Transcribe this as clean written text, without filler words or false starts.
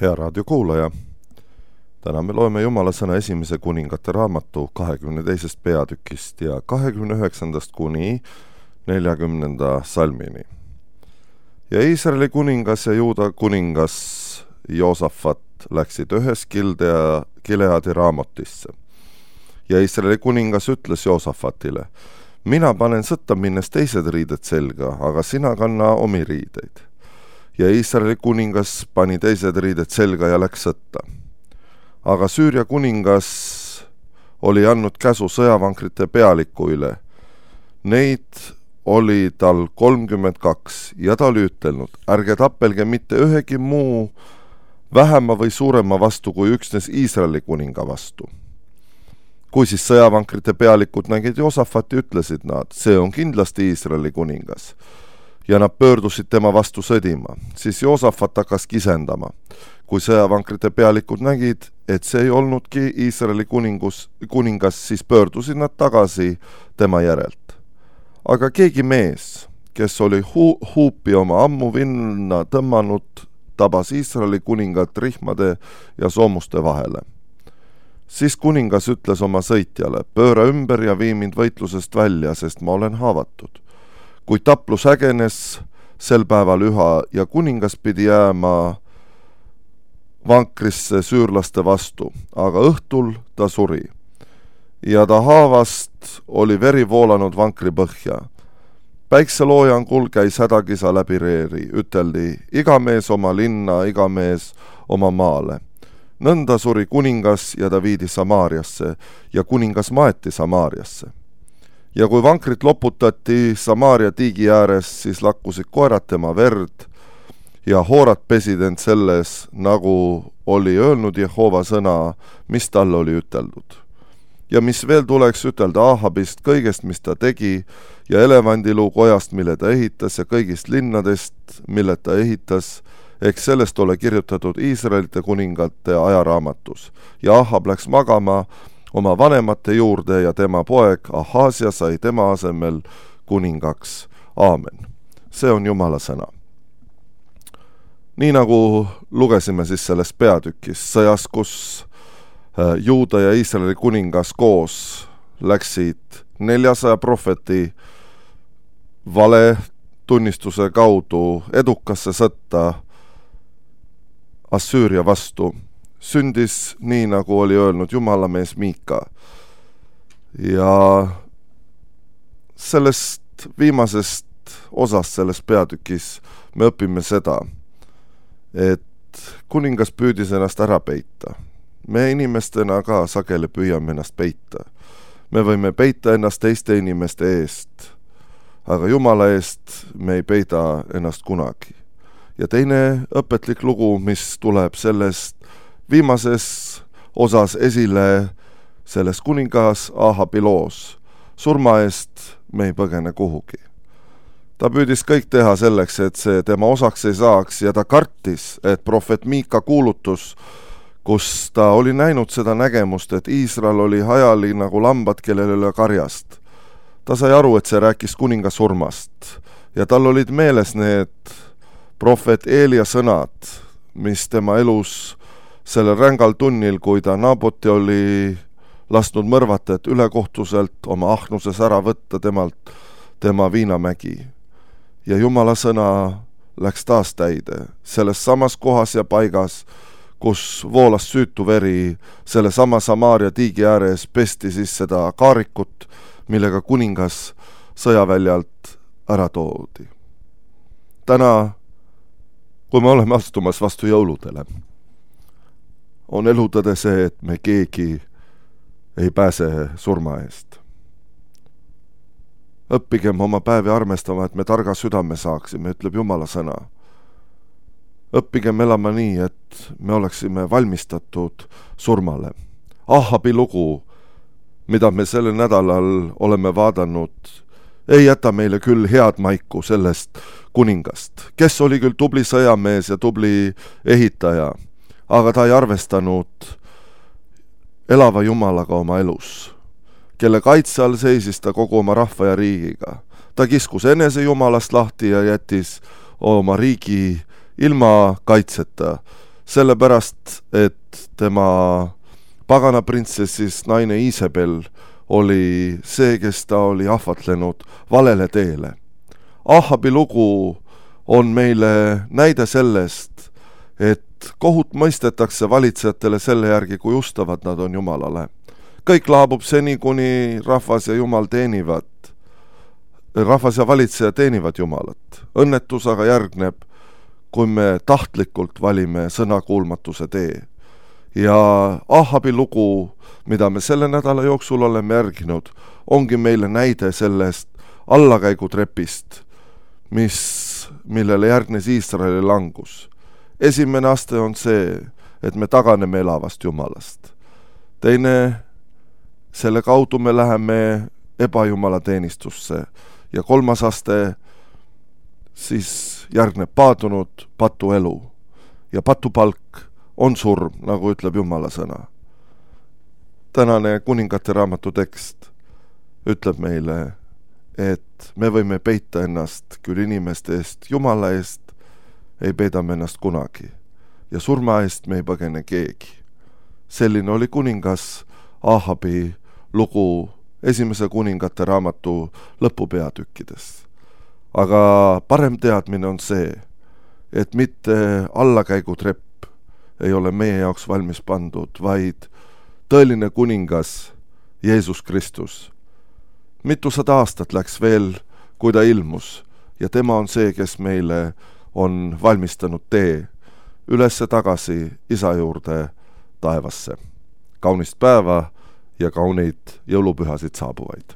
Hea raadiokuulaja, täna me loeme Jumala sõna esimese kuningate raamatu 22. peatükist ja 29. kuni 40. salmini. Ja Iisraeli kuningas ja Juuda kuningas Joosafat läksid ühes Gileadi Raamotisse. Ja Iisraeli kuningas ütles Joosafatile, mina panen sõtta minnes teised riided selga, aga sina kanna omi riideid. Ja Iisraeli kuningas pani teised riided selga ja läks sõtta. Aga Süüria kuningas oli andnud käsu sõjavankrite pealiku üle. Neid oli tal 32 ja ta oli ütelnud, ärge tappelge mitte ühegi muu vähema või suurema vastu kui üksnes Iisraeli kuninga vastu. Kui siis sõjavankrite pealikud nägid Joosafati, ütlesid nad, see on kindlasti Iisraeli kuningas. Ja nad pöördusid tema vastu sõdima. Siis Joosafat hakkas kisendama. Kui sõjavankrite pealikud nägid, et see ei olnudki Iisraeli kuningas, siis pöördusid nad tagasi tema järelt. Aga keegi mees, kes oli huupi oma ammu vinna tõmmanud, tabas Iisraeli kuningat rihmade ja soomuste vahele. Siis kuningas ütles oma sõitjale, pööra ümber ja vii mind võitlusest välja, sest ma olen haavatud. Kui taplus ägenes sel päeval üha ja kuningas pidi jääma vankrisse süürlaste vastu, aga õhtul ta suri. Ja ta haavast oli veri voolanud vankri põhja. Päikseloojangul käis hädakisa läbi reeri, üteldi, iga mees oma linna, iga mees oma maale. Nõnda suri kuningas ja ta viidi Samaariasse ja kuningas maeti Samaariasse. Ja kui vankrit loputati Samaaria tiigi ääres, siis lakkusid koerad tema verd ja hoorad pesid end selles, nagu oli öelnud Jehova sõna, mis talle oli üteldud. Ja mis veel tuleks ütelda Ahabist kõigest, mis ta tegi, ja elevandiluu kojast, mille ta ehitas, ja kõigist linnadest, mille ta ehitas, eks sellest ole kirjutatud Iisraelite kuningate ajaraamatus. Ja Ahab läks magama oma vanemate juurde ja tema poeg Ahaasia sai tema asemel kuningaks. Aamen. See on Jumala sõna. Nii nagu lugesime siis selles peatükis, sõjas, kus Juuda ja Iisraeli kuningas koos läksid 400 prohveti vale tunnistuse kaudu edukasse sõtta Assüüria vastu, sündis nii, nagu oli öelnud Jumalamees Miika. Ja sellest viimasest osast selles peatükis me õpime seda, et kuningas püüdis ennast ära peita. Me inimestena ka sageli püüame ennast peita. Me võime peita ennast teiste inimeste eest, aga Jumala eest me ei peida ennast kunagi. Ja teine õpetlik lugu, mis tuleb sellest viimases osas esile selles kuningas Ahabi loos. Surma eest me ei põgene kuhugi. Ta püüdis kõik teha selleks, et see tema osaks ei saaks ja ta kartis, et prohvet Miika kuulutus, kus ta oli näinud seda nägemust, et Iisrael oli hajali nagu lambad, kellel ei ole karjast. Ta sai aru, et see rääkis kuninga surmast ja tal olid meeles need prohvet Eelia sõnad, mis tema elus sellel rängal tunnil, kui ta Naaboti oli lasknud mõrvata, et ülekohtuselt oma ahnuses ära võtta temalt tema viinamägi. Ja Jumala sõna läks taas täide, selles samas kohas ja paigas, kus voolas süütu veri, selle sama Samaaria tiigi ääres pesti siis seda kaarikut, millega kuningas sõjaväljalt ära toodi. Täna, kui me oleme astumas vastu jõuludele, on elutõde see, et me keegi ei pääse surma eest. Õppigem oma päevi armestama, et me targa südame saaksime, ütleb Jumala sõna. Õppigem elama nii, et me oleksime valmistatud surmale. Ahabi lugu, mida me sellel nädalal oleme vaadanud, ei jäta meile küll head maiku sellest kuningast, kes oli küll tubli sõjamees ja tubli ehitaja, aga ta ei arvestanud elava Jumalaga oma elus, kelle kaitse all seisis ta kogu oma rahva ja riigiga. Ta kiskus enese Jumalast lahti ja jättis oma riigi ilma kaitseta, sellepärast, et tema pagana printsessis naine Iisabel oli see, kes ta oli ahvatlenud valele teele. Ahabi lugu on meile näide sellest, et kohut mõistetakse valitsejatele selle järgi, kui ustavad nad on Jumalale. Kõik laabub seni, kuni rahvas ja Jumal teenivad. Rahvas ja valitseja teenivad Jumalat. Õnnetus aga järgneb, kui me tahtlikult valime sõnakuulmatuse tee. Ja Ahabi lugu, mida me selle nädala jooksul oleme järginud, ongi meile näide sellest allakäigutrepist, millele järgnes Iisraeli langus. Esimene aste on see, et me taganeme elavast Jumalast. Teine, selle kaudu me läheme ebajumala teenistusse. Ja kolmas aste siis järgneb paadunud patuelu. Ja patupalk on surm, nagu ütleb Jumala sõna. Tänane kuningate raamatu tekst ütleb meile, et me võime peita ennast küll inimeste eest, Jumala eest ei peida me ennast kunagi. Ja surma eest me ei põgene keegi. Selline oli kuningas Ahabi lugu esimese kuningate raamatu lõpupeatükkides. Aga parem teadmine on see, et mitte allakäigutrepp ei ole meie jaoks valmis pandud, vaid tõeline kuningas Jeesus Kristus. Mitusada aastat läks veel, kui ta ilmus, ja tema on see, kes meile on valmistanud tee ülesse tagasi Isa juurde taevasse. Kaunist päeva ja kauneid jõulupühasid saabuvaid!